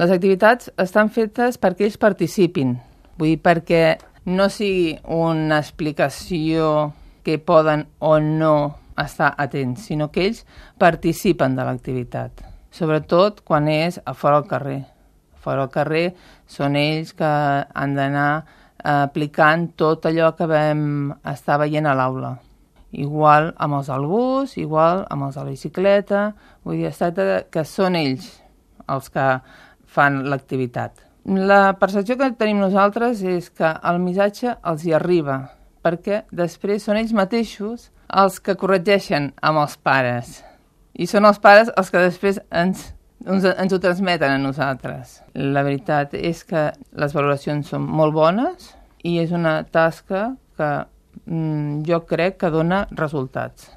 Les activitats estan fetes perquè ells participin, vull dir, perquè no sigui una explicació que poden o no estar atents, sinó que ells participen de l'activitat, sobretot quan és a fora al carrer. Fora al carrer són ells que han d'anar aplicant tot allò que vam estar veient a l'aula. Igual amb els del bus, igual amb els de la bicicleta, vull dir, es tracta que són ells els que fan l'activitat. La percepció que tenim nosaltres és que el missatge els hi arriba, perquè després són ells mateixos els que corregeixen amb els pares. I són els pares els que després ens ho transmeten a nosaltres. La veritat és que les valoracions són molt bones i és una tasca que jo crec que dona resultats.